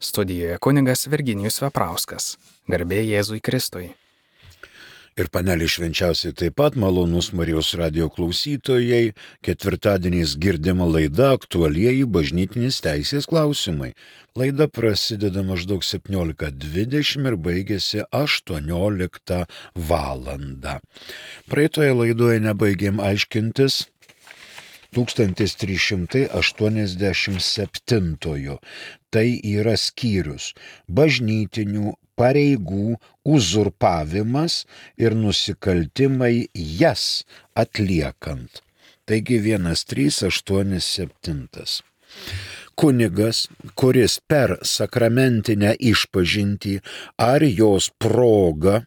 Studijoje kunigas Virginijus Veprauskas. Garbė Jėzui Kristui. Ir panelė švenčiausiai taip pat malonus Marijos radio klausytojai. Ketvirtadieniais girdima laida Aktualieji bažnytinės teisės klausimai. Laida prasideda maždaug 17:20 ir baigėsi 18 valandą. Praeitoje laidoje nebaigėm aiškintis 1387. Tai yra skyrius bažnytinių pareigų uzurpavimas ir nusikaltimai jas atliekant. Taigi 1387. Kunigas, kuris per sakramentinę išpažintį ar jos progą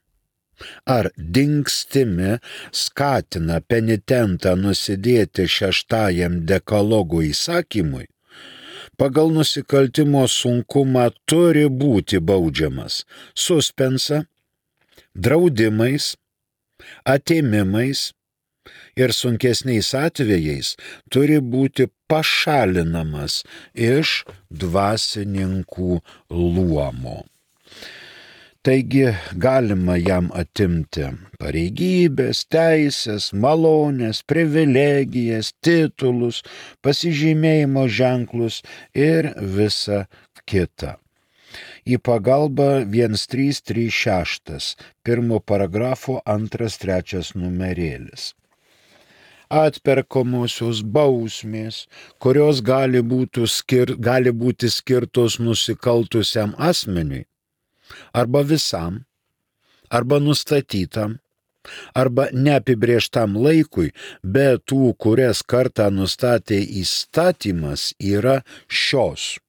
ar dingstimi skatina penitentą nusidėti šeštajam dekalogo įsakymui, pagal nusikaltimo sunkumą turi būti baudžiamas suspensa, draudimais, atėmimais ir sunkesniais atvejais turi būti pašalinamas iš dvasininkų luomo. Taigi galima jam atimti pareigybės, teisės, malonės, privilegijas, titulus, pasižymėjimo ženklus ir visa kita. Į pagalbą 1336, 1 paragrafo 2-3 numerėlis. Atperkamosios bausmės, kurios gali būti skirtos nusikaltusiam asmeniui, arba visam, arba nustatytam, arba neapibrėžtam laikui, bet tų, kurias kartą nustatė įstatymas, yra šios: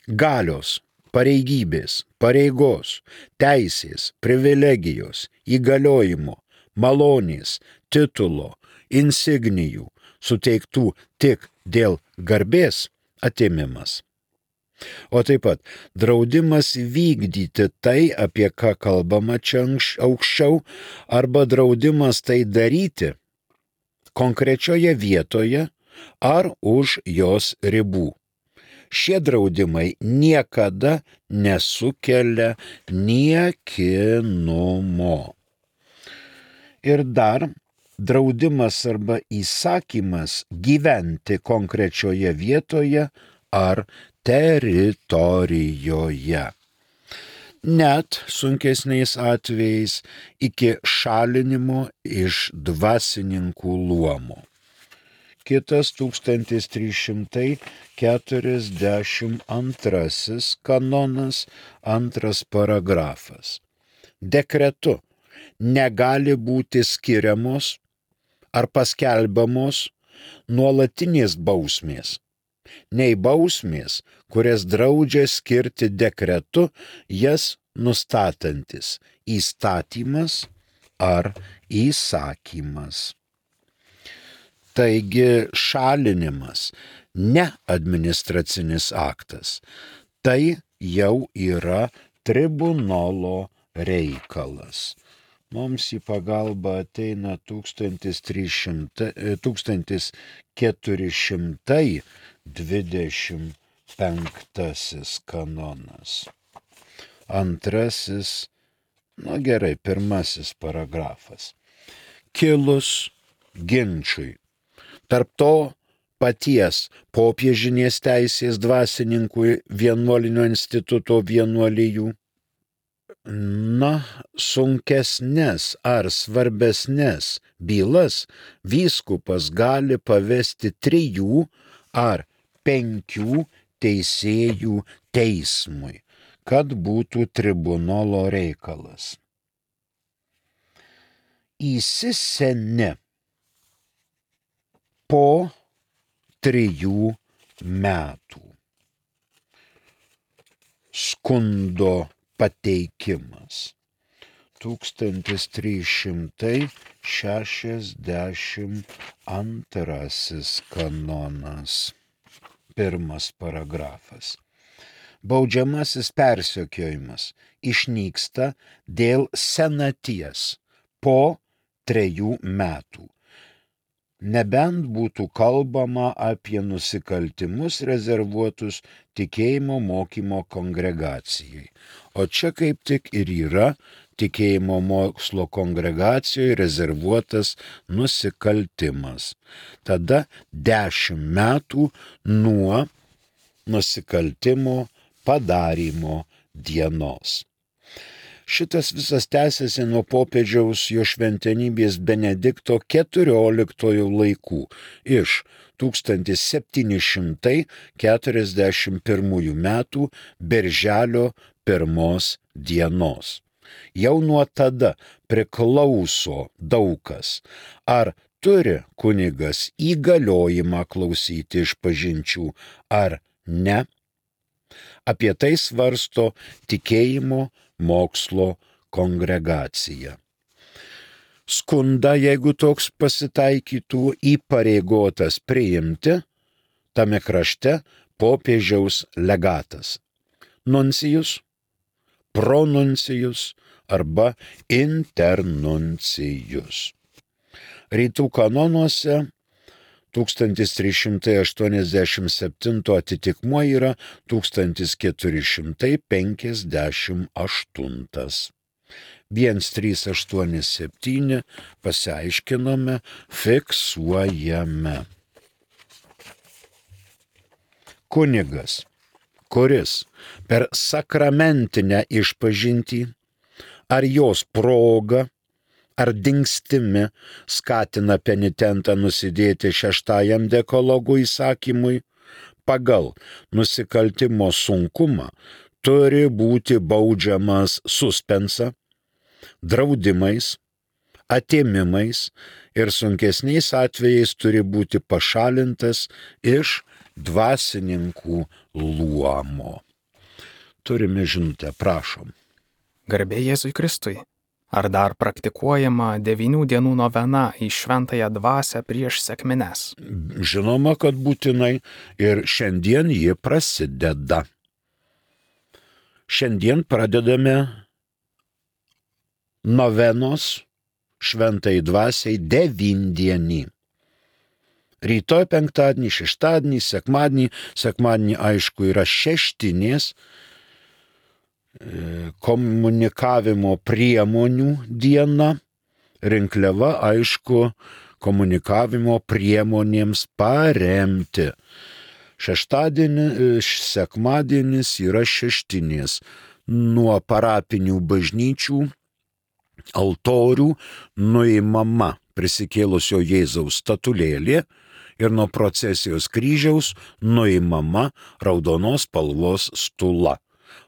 galios, pareigybės, pareigos, teisės, privilegijos, įgaliojimo, malonės, titulo, insignijų, suteiktų tik dėl garbės atėmimas. O taip pat draudimas vykdyti tai, apie ką kalbama čia aukščiau, arba draudimas tai daryti konkrečioje vietoje ar už jos ribų. Šie draudimai niekada nesukelia niekinumo. Ir dar draudimas arba įsakymas gyventi konkrečioje vietoje ar teritorijoje. Net sunkesniais atvejais iki šalinimo iš dvasininkų luomo. Kitas 1342 kanonas, 2 paragrafas. Dekretu negali būti skiriamos ar paskelbiamos nuolatinės bausmės, nei bausmės, kurias draudžia skirti dekretu jas nustatantis įstatymas ar įsakymas. Taigi šalinimas ne administracinis aktas, tai jau yra tribunolo reikalas. Mums į pagalbą ateina 1425 kanonas. 1 paragrafas. Kilus ginčui tarp to paties popiežinės teisės dvasininkų vienuolinio instituto vienuolijų, sunkesnes ar svarbesnes bylas vyskupas gali pavesti 3 ar 5 teisėjų teismui, kad būtų tribunolo reikalas. Įsiseni po 3 metų. Skundo pateikimas. 1362 kanonas. 1 paragrafas. Baudžiamasis persekiojimas išnyksta dėl senaties po 3 metų. nebent būtų kalbama apie nusikaltimus rezervuotus tikėjimo mokymo kongregacijai. O čia kaip tik ir yra tikėjimo mokslo kongregacijoje rezervuotas nusikaltimas. Tada 10 metų nuo nusikaltimo padarymo dienos. Šitas visas tęsiasi nuo popiežiaus jo šventenybės Benedikto XIV laikų iš 1741 metų birželio 1 dienos. Jau nuo tada priklauso daug kas, ar turi kunigas įgaliojimą klausyti išpažinčių ar ne. Apie tai svarsto tikėjimo mokslo kongregacija. Skundą, jeigu toks pasitaikytų, įpareigotas priimti tame krašte popiežiaus legatas, nuncijus, pronuncijus arba internuncijus. Rytų kanonuose 1387 atitikmuo yra 1458. 1387 pasiaiškinome, fiksuojame. Kunigas, kuris per sakramentinę išpažintį ar jos progą ar dingstimi skatina penitentą nusidėti 6 dekalogo įsakymui, pagal nusikaltimo sunkumą turi būti baudžiamas suspensa, draudimais, atėmimais ir sunkesniais atvejais turi būti pašalintas iš dvasininkų luomo. Turime žinutę, prašom. Garbė Jėzui Kristui. Ar dar praktikuojama 9 dienų novena į šventąją dvasią prieš sekmines? Žinoma, kad būtinai ir šiandien ji prasideda. Šiandien pradedame novenos šventai dvasiai 9-dienį. Rytoj penktadienį, šeštadienį, sekmadienį aišku yra šeštinės komunikavimo priemonių diena, rinkliava aišku komunikavimo priemonėms paremti. Sekmadienis yra šeštinės. Nuo parapinių bažnyčių altorių nuimama prisikėlusio Jėzaus statulėlė ir nuo procesijos kryžiaus nuimama raudonos spalvos stula.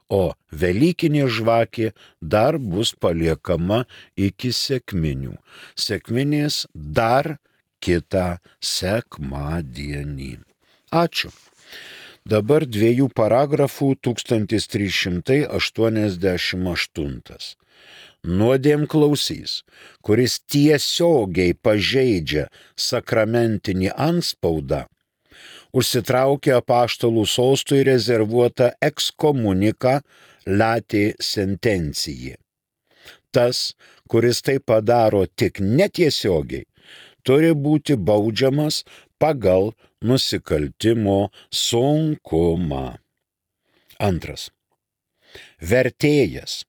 O velykinė žvakė dar bus paliekama iki sekminių. Sekminės dar kitą sekmadienį. Ačiū. Dabar 2 paragrafų 1388. Nuodėmklausys, kuris tiesiogiai pažeidžia sakramentinį antspaudą, užsitraukia apaštalų sostui rezervuotą ekskomuniką latė sentencijai. Tas, kuris tai padaro tik netiesiogiai, turi būti baudžiamas pagal nusikaltimo sunkumą. 2. Vertėjas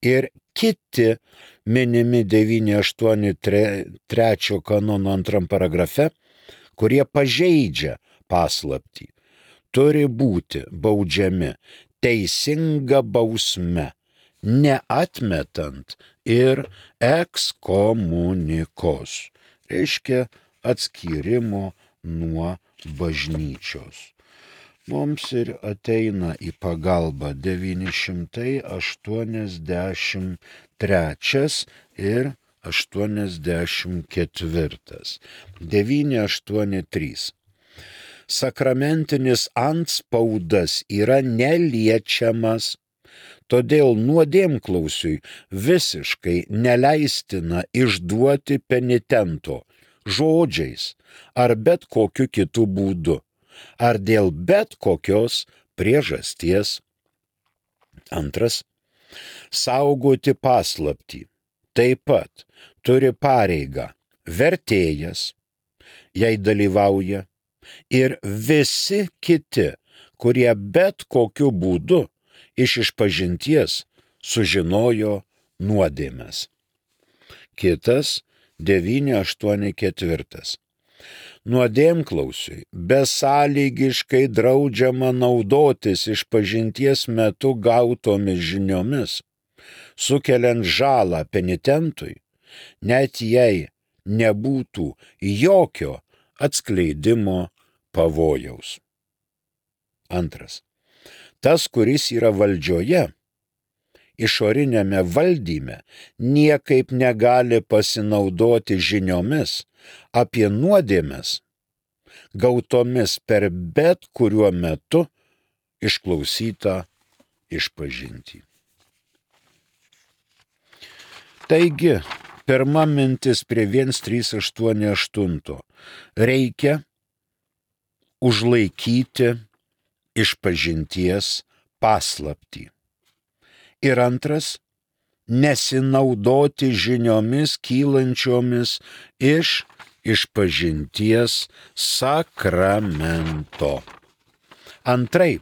ir kiti minimi 983 kanono 2 paragrafe, kurie pažeidžia paslaptį, turi būti baudžiami teisinga bausme, neatmetant ir ekskomunikos, reiškia atskyrimo nuo bažnyčios. Mums ir ateina į pagalbą 983 ir 84. 983. Sakramentinis antspaudas yra neliečiamas, todėl nuodėmklausiui visiškai neleistina išduoti penitento žodžiais ar bet kokiu kitu būdu, ar dėl bet kokios priežasties. 2. Saugoti paslaptį taip pat turi pareigą vertėjas, jai dalyvauja ir visi kiti, kurie bet kokiu būdu iš išpažinties sužinojo nuodėmes. Kitas 9.8.4. Nuodėmklausiui besąlygiškai draudžiama naudotis išpažinties metu gautomis žiniomis, sukeliant žalą penitentui, net jei nebūtų jokio atskleidimo pavojaus. Antras. Tas, kuris yra valdžioje, išorinėme valdyme, niekaip negali pasinaudoti žiniomis apie nuodėmes, gautomis per bet kuriuo metu išklausytą išpažintį. Taigi, pirma mintis prie 1.3.8.8. Reikia užlaikyti išpažinties paslaptį. Ir antras, nesinaudoti žiniomis kylančiomis iš išpažinties sakramento. Antraip,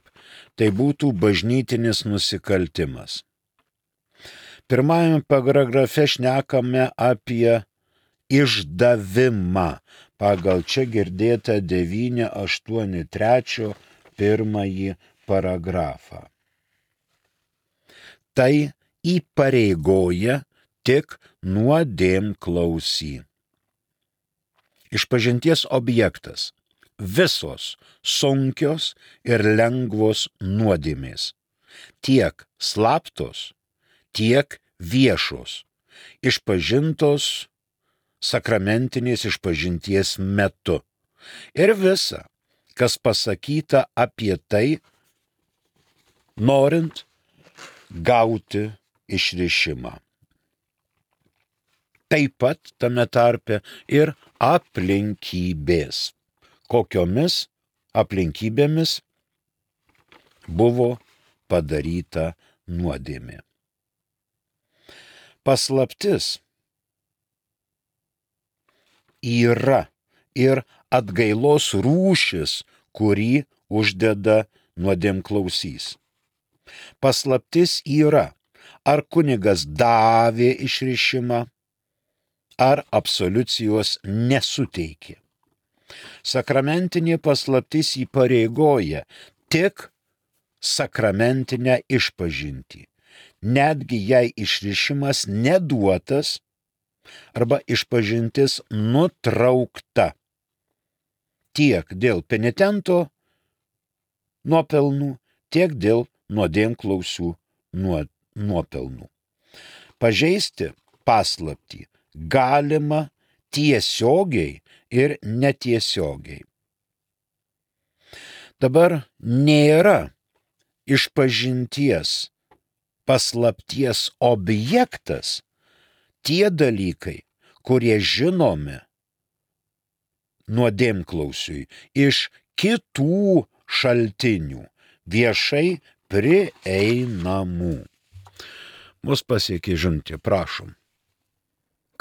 tai būtų bažnytinis nusikaltimas. Pirmajame paragrafe šnekame apie išdavimą pagal čia girdėtą 9.8.3 pirmąjį paragrafą. Tai įpareigoja tik nuodėmklausį. Išpažinties objektas – visos sunkios ir lengvos nuodėmės, tiek slaptos, tiek viešos, išpažintos sakramentinės išpažinties metu. Ir visa, kas pasakyta apie tai, norint gauti išrišimą. Taip pat tame tarpe ir aplinkybės. Kokiomis aplinkybėmis buvo padaryta nuodėmė. Paslaptis yra ir atgailos rūšis, kurį uždeda nuodėmklausys. Paslaptis yra, ar kunigas davė išrišimą, ar absoliucijos nesuteikė. Sakramentinė paslaptis įpareigoja tik sakramentinę išpažintį, netgi jei išrišimas neduotas arba išpažintis nutraukta, tiek dėl penitento nuopelnų, tiek dėl nuodėmklausių nuopelnų. Pažeisti paslaptį galima tiesiogiai ir netiesiogiai. Dabar nėra išpažinties paslapties objektas tie dalykai, kurie žinomi nuodėmklausiui iš kitų šaltinių, viešai prieinamų. Mus pasiekė žinutė, prašom.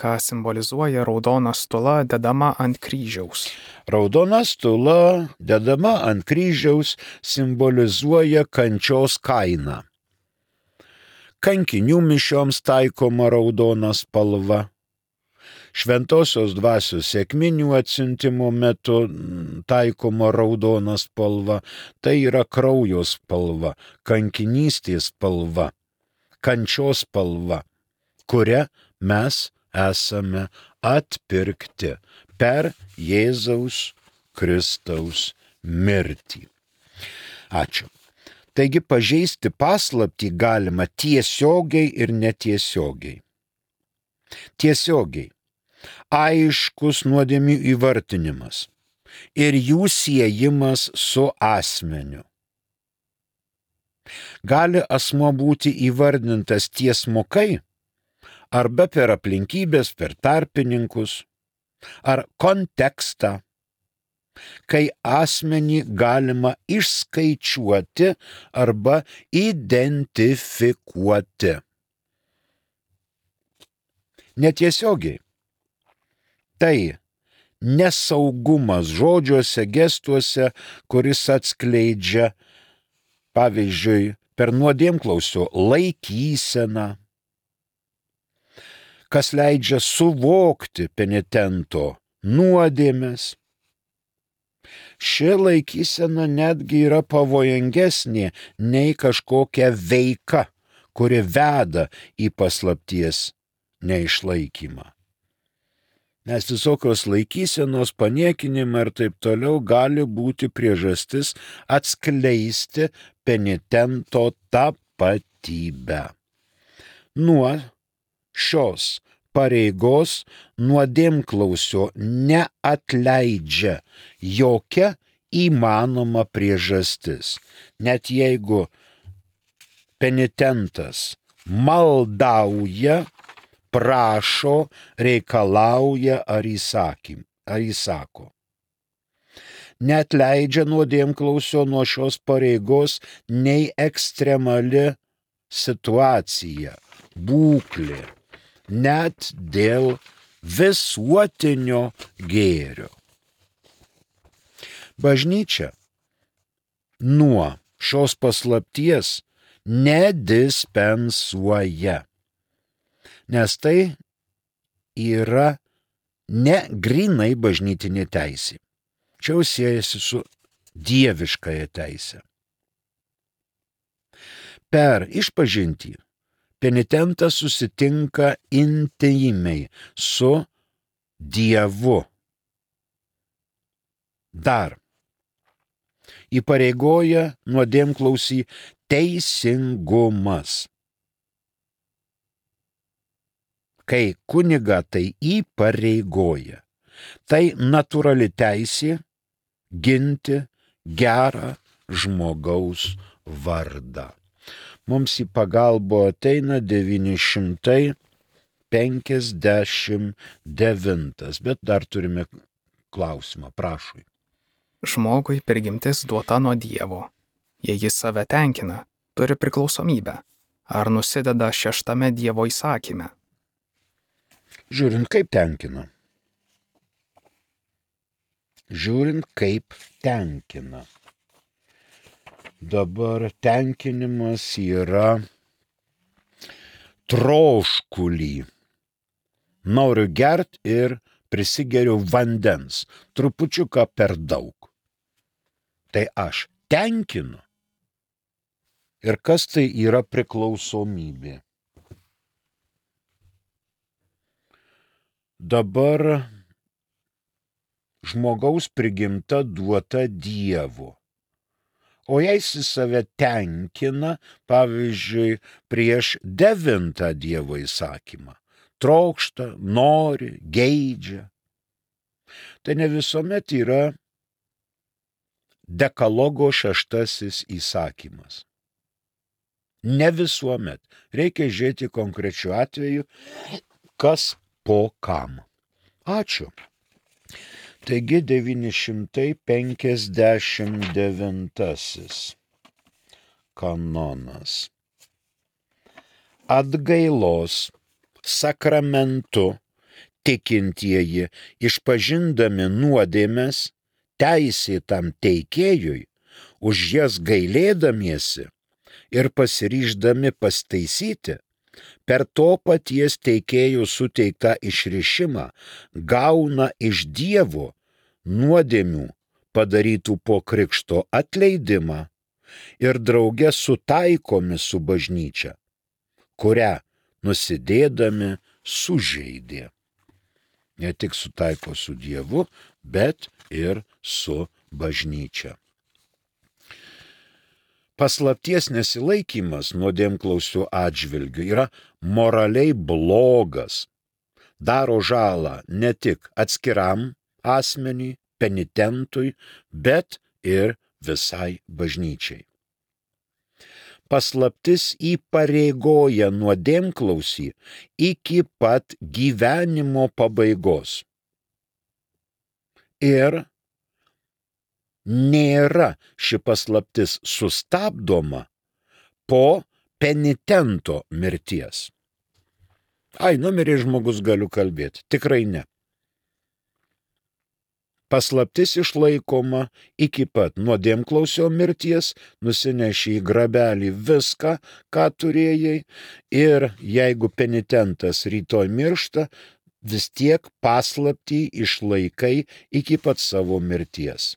Ką simbolizuoja raudona stula dedama ant kryžiaus? Raudona stula dedama ant kryžiaus simbolizuoja kančios kainą. Kankinių mišioms taikoma raudona spalva. Šventosios dvasios sekminių atsiuntimo metu taikoma raudona spalva, tai yra kraujo spalva, kankinystės spalva, kančios spalva, kuria mes esame atpirkti per Jėzaus Kristaus mirtį. Ačiū. Taigi pažeisti paslaptį galima tiesiogiai ir netiesiogiai. Tiesiogiai. Aiškus nuodėmių įvartinimas ir jų siejimas su asmeniu. Gali asmuo būti įvardintas tiesmukai arba per aplinkybės, per tarpininkus ar kontekstą, kai asmenį galima išskaičiuoti arba identifikuoti. Netiesiogiai. Tai nesaugumas žodžiuose, gestuose, kuris atskleidžia, pavyzdžiui, per nuodėmklausio laikyseną, kas leidžia suvokti penitento nuodėmes. Ši laikysena netgi yra pavojingesnė nei kažkokia veika, kuri veda į paslapties neišlaikymą. Nes visokios laikysenos, paniekinimai ir taip toliau gali būti priežastis atskleisti penitento tapatybę. Nuo šios pareigos nuodėmklausio neatleidžia jokia įmanoma priežastis, net jeigu penitentas maldauja, prašo, reikalauja ar įsako. Neatleidžia nuodėmklausio nuo šios pareigos nei ekstremali situacija, būklė, net dėl visuotinio gėrio. Bažnyčia nuo šios paslapties nedispensuoja, nes tai yra ne grynai bažnytinė teisė. Čia jau siejasi su dieviškąja teise. Per išpažintį penitentas susitinka intymiai su Dievu. Dar įpareigoja nuodėmklausį teisingumas. Kai kunigą tai įpareigoja, tai natūrali teisė ginti gerą žmogaus vardą. Mums į pagalbą ateina 959, bet dar turime klausimą, prašau. Žmogui prigimtis duota nuo Dievo. Jei jis save tenkina, turi priklausomybę. Ar nusideda 6 Dievo įsakyme? Žiūrint, kaip tenkina. Dabar tenkinimas yra troškulį. Noriu gert ir prisigeriu vandens, trupučiuką per daug. Tai aš tenkinu. Ir kas tai yra priklausomybė? Dabar žmogaus prigimta duota Dievo. O jei jis save tenkina, pavyzdžiui, prieš 9 Dievo įsakymą, trokšta, nori, geidžia, tai ne visuomet yra dekalogo 6 įsakymas. Ne visuomet. Reikia žiūrėti konkrečiu atveju, kas po kam. Ačiū. Taigi 959 kanonas. Atgailos sakramentu tikintieji, išpažindami nuodėmes teisėtam teikėjui, už jas gailėdamiesi ir pasiryždami pastaisyti, per to paties teikėjų suteiktą išrišimą gauna iš Dievo nuodėmių padarytų po krikšto atleidimą ir drauge sutaikomi su bažnyčia, kurią nusidėdami sužeidė. Ne tik sutaiko su Dievu, bet ir su bažnyčia. Paslapties nesilaikymas nuodėmklausių atžvilgių yra moraliai blogas, daro žalą ne tik atskiram asmeniui, penitentui, bet ir visai bažnyčiai. Paslaptis įpareigoja nuodėmklausį iki pat gyvenimo pabaigos. Ir nėra ši paslaptis sustabdoma po penitento mirties. Numirė žmogus, galiu kalbėti. Tikrai ne. Paslaptis išlaikoma iki pat nuodėmklausio mirties, nusineši į grabelį viską, ką turėjai, ir jeigu penitentas rytoj miršta, vis tiek paslaptį išlaikai iki pat savo mirties.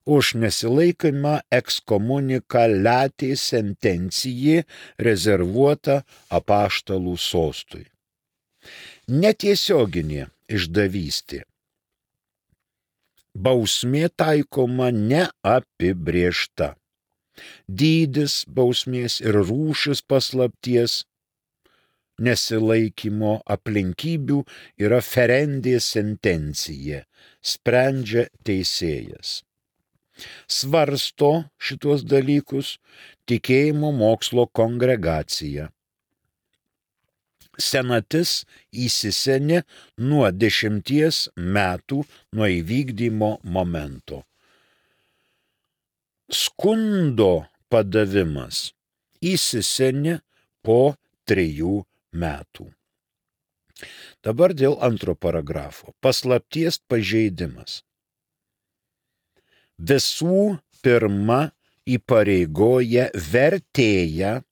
Už nesilaikymą excomunica latae sententiae rezervuota apaštalų sostui. Netiesioginė išdavystė. Bausmė taikoma neapibrėžta. Dydis bausmės ir rūšis paslapties nesilaikymo aplinkybių yra ferendė sentencija, sprendžia teisėjas. Svarsto šitos dalykus tikėjimo mokslo kongregacija. Senatis įsisenė nuo 10 metų nuo įvykdymo momento. Skundo padavimas įsisenė po 3 metų. Dabar dėl antro paragrafo. Paslapties pažeidimas. Visų pirma įpareigoja vertėją,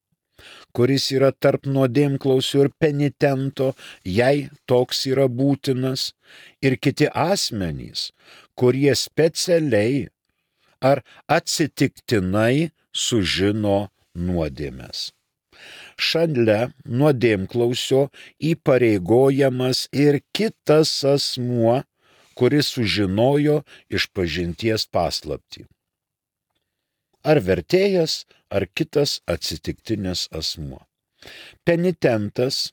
kuris yra tarp nuodėmklausio ir penitento, jei toks yra būtinas, ir kiti asmenys, kurie specialiai ar atsitiktinai sužino nuodėmes. Šalia nuodėmklausio įpareigojamas ir kitas asmuo, kuris sužinojo išpažinties paslaptį. Ar vertėjas, ar kitas atsitiktinis asmuo. Penitentas,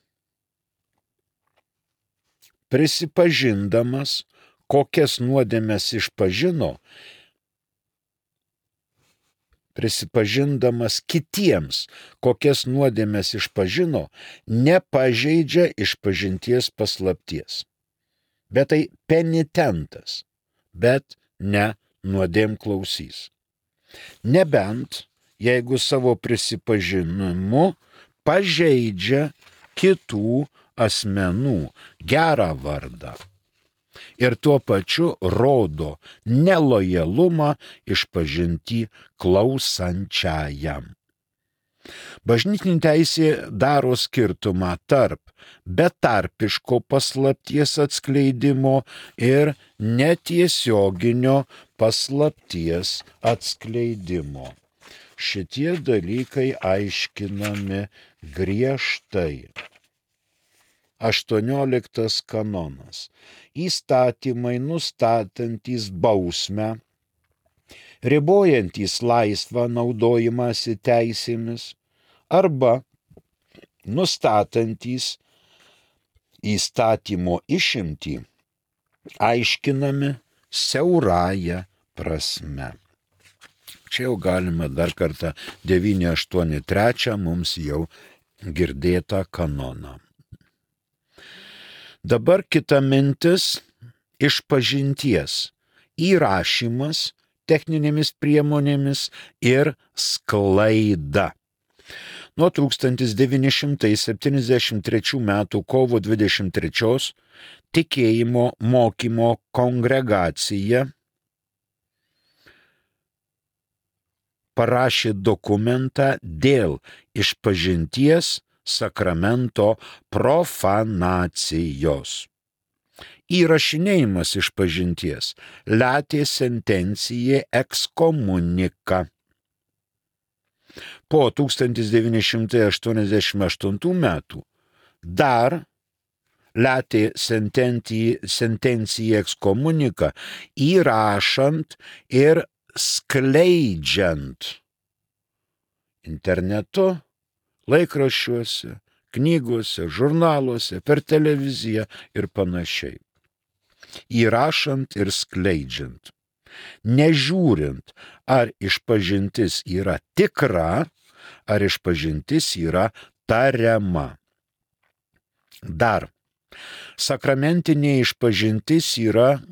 prisipažindamas, kokias nuodėmes išpažino, prisipažindamas kitiems, kokias nuodėmes išpažino, nepažeidžia išpažinties paslapties. Bet tai penitentas, bet ne nuodėmklausys. Nebent, jeigu savo prisipažinimu pažeidžia kitų asmenų gerą vardą ir tuo pačiu rodo nelojalumą išpažintį klausančiajam. Bažnytinė teisė daro skirtumą tarp betarpiško paslapties atskleidimo ir netiesioginio paslapties atskleidimo. Šitie dalykai aiškinami griežtai. 18 kanonas. Įstatymai nustatantys bausmę, ribojantys laisvą naudojimąsi teisėmis arba nustatantys įstatymo išimtį, aiškinami siaurąja prasme. Čia jau galime dar kartą 983 mums jau girdėtą kanoną. Dabar kita mintis - išpažinties įrašymas techninėmis priemonėmis ir sklaida. Nuo 1973 metų kovo 23 tikėjimo mokymo kongregacija parašė dokumentą dėl išpažinties sakramento profanacijos. Įrašinėjimas išpažinties latae sententiae excomunica. Po 1988 metų dar latae sententiae excomunica įrašant ir skleidžiant internetu, laikraščiuose, knygose, žurnaluose, per televiziją ir panašiai. Įrašant ir skleidžiant. Nežiūrint, ar išpažintis yra tikra, ar išpažintis yra tariama. Dar. Sakramentinė išpažintis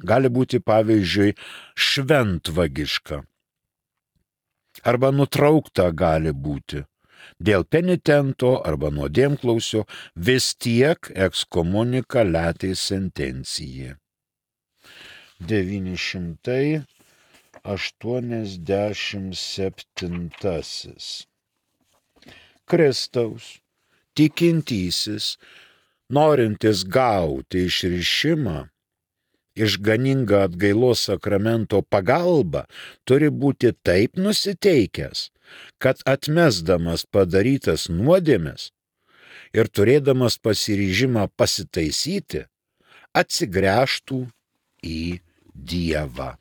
gali būti pavyzdžiui šventvagiška. Arba nutraukta gali būti. Dėl penitento arba nuodėmklausio vis tiek excomunica latae sententiae. 987. Kristaus, tikintysis, norintis gauti išrišimą, išganingą atgailos sakramento pagalbą, turi būti taip nusiteikęs, kad atmesdamas padarytas nuodėmes ir turėdamas pasiryžimą pasitaisyti, atsigręžtų į Dievą.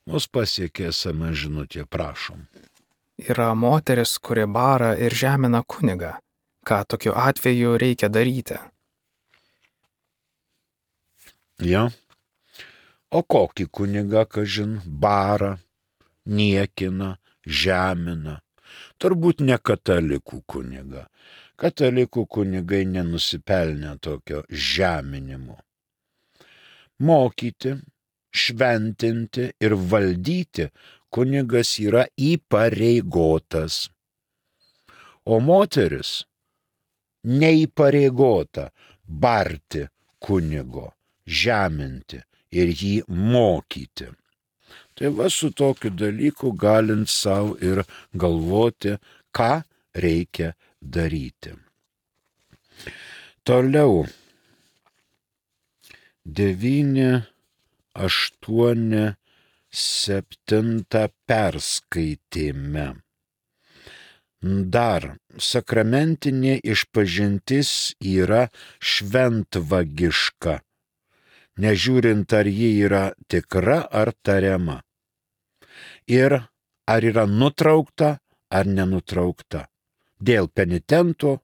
Mus pasiekė SMS žinutė, prašom. Yra moteris, kuri bara ir žemina kunigą. Ką tokiu atveju reikia daryti? Ja. O kokį kunigą, kažin, bara, niekina, žemina? Turbūt ne katalikų kunigą. Katalikų kunigai nenusipelnė tokio žeminimo. Mokyti, šventinti ir valdyti kunigas yra įpareigotas. O moteris neįpareigota barti kunigo, žeminti ir jį mokyti. Tai va su tokiu dalyku galint savo ir galvoti, ką reikia daryti. Toliau. 987 perskaitėme. Dar sakramentinė išpažintis yra šventvagiška, nežiūrint ar ji yra tikra ar tariama. Ir ar yra nutraukta ar nenutraukta, dėl penitento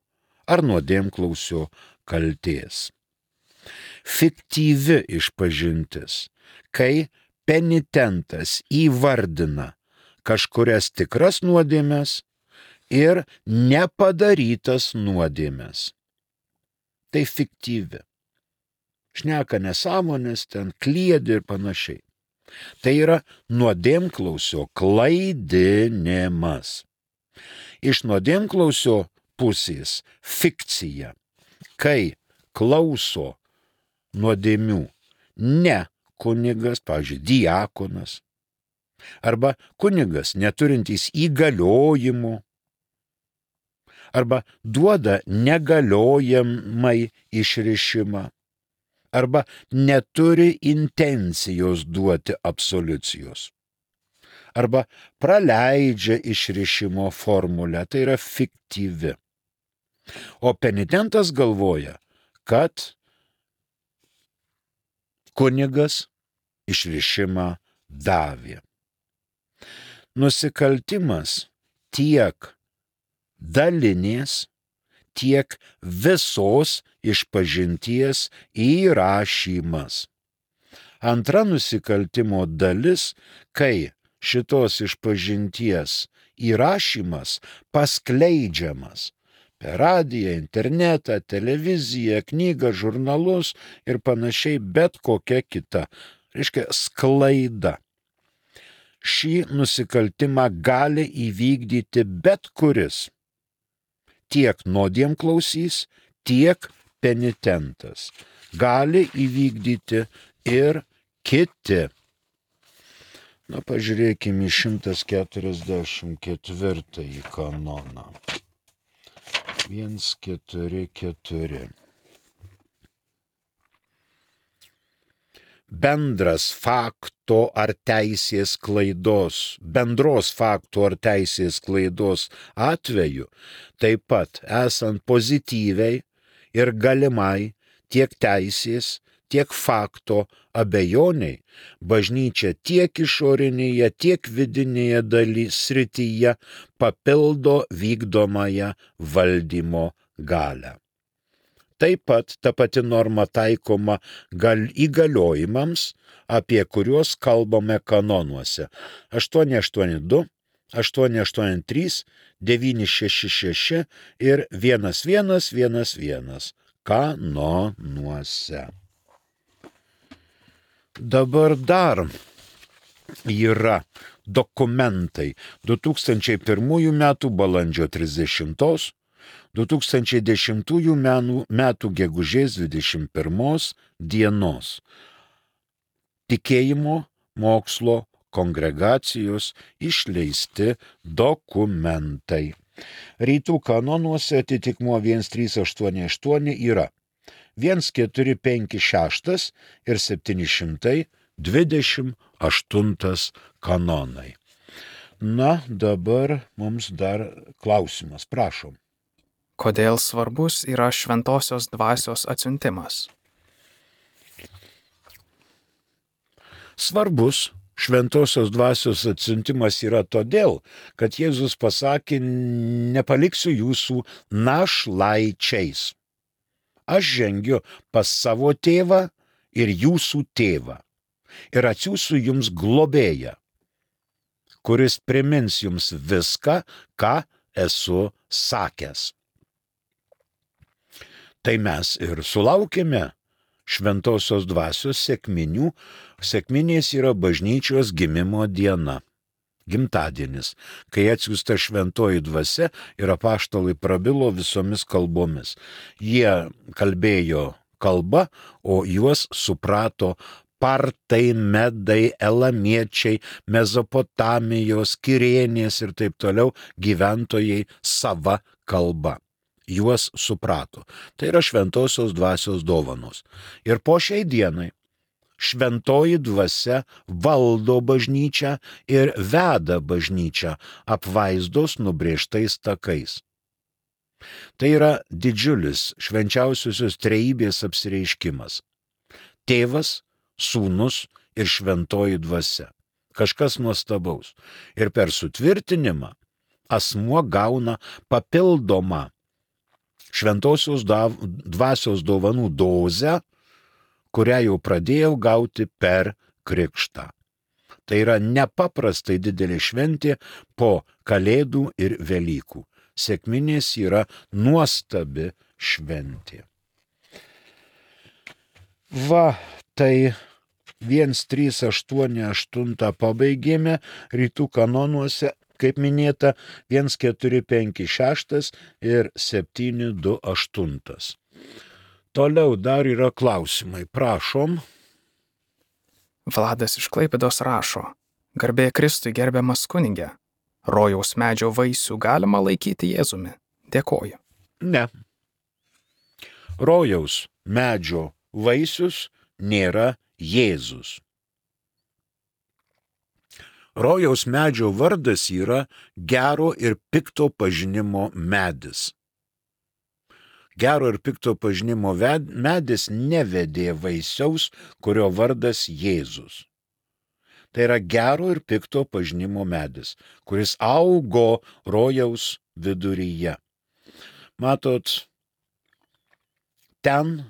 ar nuodėmklausio kaltės. Fiktyvi išpažintis, kai penitentas įvardina kažkurias tikras nuodėmes ir nepadarytas nuodėmes. Tai fiktyvi. Šneka nesąmonės, ten kliedi ir panašiai. Tai yra nuodėmklausio klaidinimas. Iš nuodėmklausio pusės fikcija, kai klauso nuodėmių ne kunigas, pavyzdžiui, diakonas, arba kunigas neturintys įgaliojimų, arba duoda negaliojamai išrišimą, arba neturi intencijos duoti absoliucijos, arba praleidžia išrišimo formulę, tai yra fiktyvi. O penitentas galvoja, kad kunigas išrišimą davė. Nusikaltimas tiek dalinės, tiek visos išpažinties įrašymas. Antra nusikaltimo dalis, kai šitos išpažinties įrašymas paskleidžiamas per radiją, internetą, televiziją, knygą, žurnalus ir panašiai, bet kokia kita. Reiškia sklaida. Šį nusikaltimą gali įvykdyti bet kuris. Tiek nuodėmklausys, tiek penitentas. Gali įvykdyti ir kiti. Na, pažiūrėkime į 144 kanoną. 144. Bendros fakto ar teisės klaidos atveju, taip pat esant pozityviai ir galimai tiek teisės, tiek fakto abejoniai, bažnyčia tiek išorinėje, tiek vidinėje srityje papildo vykdomąją valdymo galią. Taip pat ta pati norma taikoma įgaliojimams, apie kuriuos kalbame kanonuose. 882, 883, 966 ir 1111 kanonuose. Dabar dar yra dokumentai 2001 metų balandžio 30, 2010 metų gegužės 21 dienos. tikėjimo mokslo kongregacijos išleisti dokumentai. Rytų kanonuose atitikmuo 1388 yra 1456 ir 728 kanonai. Na, dabar mums dar klausimas, prašom. Kodėl svarbus yra šventosios dvasios atsiuntimas? Svarbus šventosios dvasios atsiuntimas yra todėl, kad Jėzus pasakė, nepaliksiu jūsų našlaičiais. Aš žengiu pas savo tėvą ir jūsų tėvą ir atsiųsiu jums globėją, kuris primins jums viską, ką esu sakęs. Tai mes ir sulaukėme šventosios dvasios sekminių. Sekminės yra bažnyčios gimimo diena, gimtadienis, kai atsiųsta šventoji dvasia ir apaštalai prabilo visomis kalbomis. Jie kalbėjo kalbą, o juos suprato partai, medai, elamiečiai, Mezopotamijos, Kirėnės ir taip toliau gyventojai sava kalba. Juos suprato. Tai yra šventosios dvasios dovanos. Ir po šiai dienai šventoji dvasia valdo bažnyčią ir veda bažnyčią apvaizdos nubrėžtais takais. Tai yra didžiulis švenčiausiosios trejybės apsireiškimas. Tėvas, Sūnus ir šventoji dvasia. Kažkas nuostabaus. Ir per sutvirtinimą asmuo gauna papildomą šventosios dvasios dovanų dozę, kurią jau pradėjau gauti per krikštą. Tai yra nepaprastai didelė šventė po Kalėdų ir Velykų. Sekminės yra nuostabi šventė. Va, tai 1388 pabaigėme, rytų kanonuose, kaip minėta, 1456 ir 728. Toliau dar yra klausimai, prašom. Vladas iš Klaipėdos rašo: Garbė Kristui, gerbiamas kunige, rojaus medžio vaisių galima laikyti Jėzumi? Dėkoju. Ne. Rojaus medžio vaisius nėra Jėzus. Rojaus medžio vardas yra gero ir pikto pažinimo medis. Gero ir pikto pažinimo medis nevedė vaisiaus, kurio vardas Jėzus. Tai yra gero ir pikto pažinimo medis, kuris augo rojaus viduryje. Matot, ten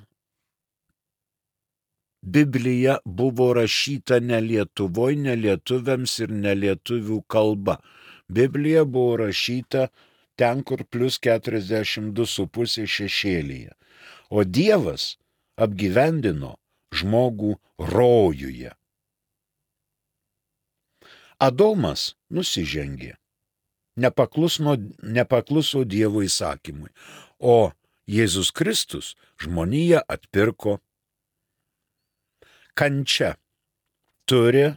Biblija buvo rašyta ne Lietuvoj, ne lietuviams ir ne lietuvių kalba. Biblija buvo rašyta ten, kur plus 42,5 šešėlyje. O Dievas apgyvendino žmogų rojuje. Adomas nusižengė, nepakluso Dievo įsakymui, o Jėzus Kristus žmoniją atpirko. Kančia turi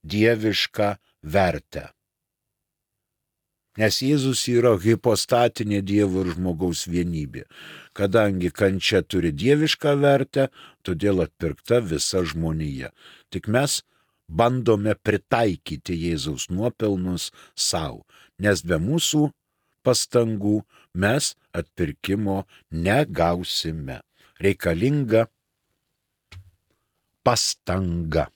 dievišką vertę. Nes Jėzus yra hipostatinė Dievo ir žmogaus vienybė. Kadangi kančia turi dievišką vertę, todėl atpirkta visa žmonija. Tik mes bandome pritaikyti Jėzaus nuopelnus savo, nes be mūsų pastangų mes atpirkimo negausime. Reikalinga pastanga.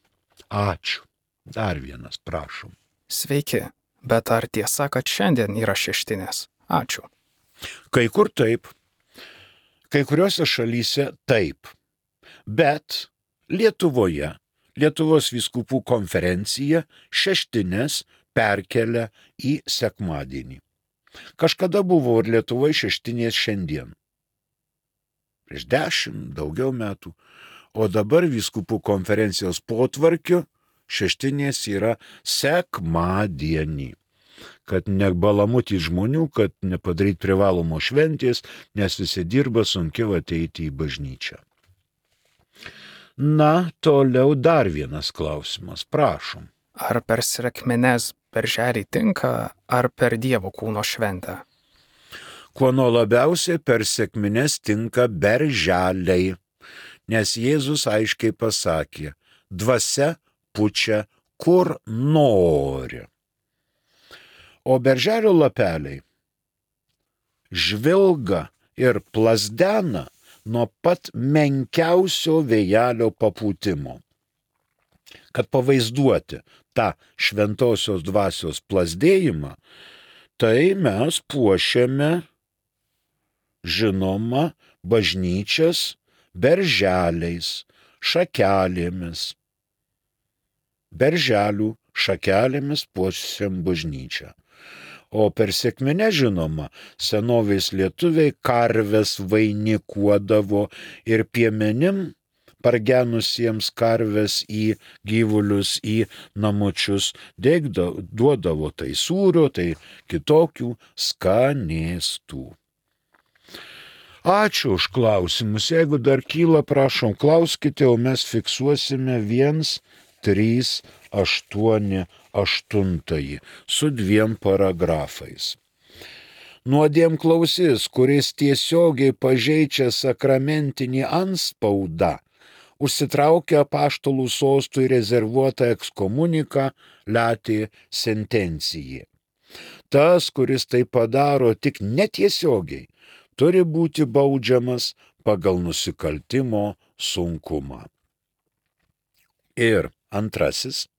Ačiū. Dar vienas, prašom. Sveiki, bet ar tiesa, kad šiandien yra šeštinės? Ačiū. Kai kur taip, kai kuriuose šalyse taip, bet Lietuvoje, Lietuvos vyskupų konferencija šeštinės perkelia į sekmadienį. Kažkada buvo ir Lietuvoje šeštinės šiandien. Prieš 10 daugiau metų. O dabar vyskupų konferencijos potvarkiu šeštinės yra sekmadienį. Kad nebalamutį žmonių, kad nepadaryti privalomo šventės, nes visi dirba, sunkiau ateiti į bažnyčią. Na, toliau dar vienas klausimas, prašom. Ar per sekmines berželį tinka, ar per Dievo kūno šventę? Kuo nuo labiausiai per sekmines tinka berželiai, nes Jėzus aiškiai pasakė, dvasia pučia kur nori. O berželio lapeliai žvilga ir plazdena nuo pat menkiausio vėjelio papūtimo. Kad pavaizduoti tą šventosios dvasios plazdėjimą, tai mes puošiame, žinoma, bažnyčias berželiais, šakelėmis. Berželių šakelėmis puošiam bažnyčią. O per sekminę, žinoma, senovės lietuviai karves vainikuodavo ir piemenim pargenusiems karves į gyvulius, į namučius, duodavo tai sūrio, tai kitokių skanėstų. Ačiū už klausimus. Jeigu dar kyla, prašom, klauskite, o mes fiksuosime 1.3.8.8 su 2 paragrafais. Nuodėmklausys, kuris tiesiogiai pažeidžia sakramentinį antspaudą, užsitraukia apaštalų sostui rezervuotą ekskomuniką latė sentencijai. Tas, kuris tai padaro tik netiesiogiai, turi būti baudžiamas pagal nusikaltimo sunkumą. Ir antrasis,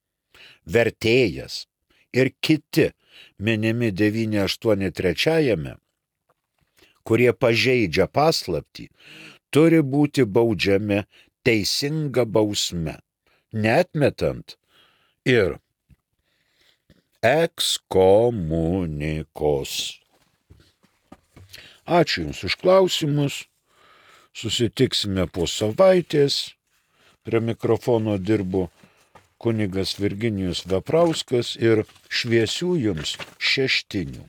vertėjas ir kiti minimi 9.8.3, kurie pažeidžia paslaptį, turi būti baudžiami teisinga bausme, neatmetant ir ekskomunikos. Ačiū Jums už klausimus, susitiksime po savaitės. Prie mikrofono dirbo kunigas Virginijus Veprauskas ir šviesių Jums šeštinių.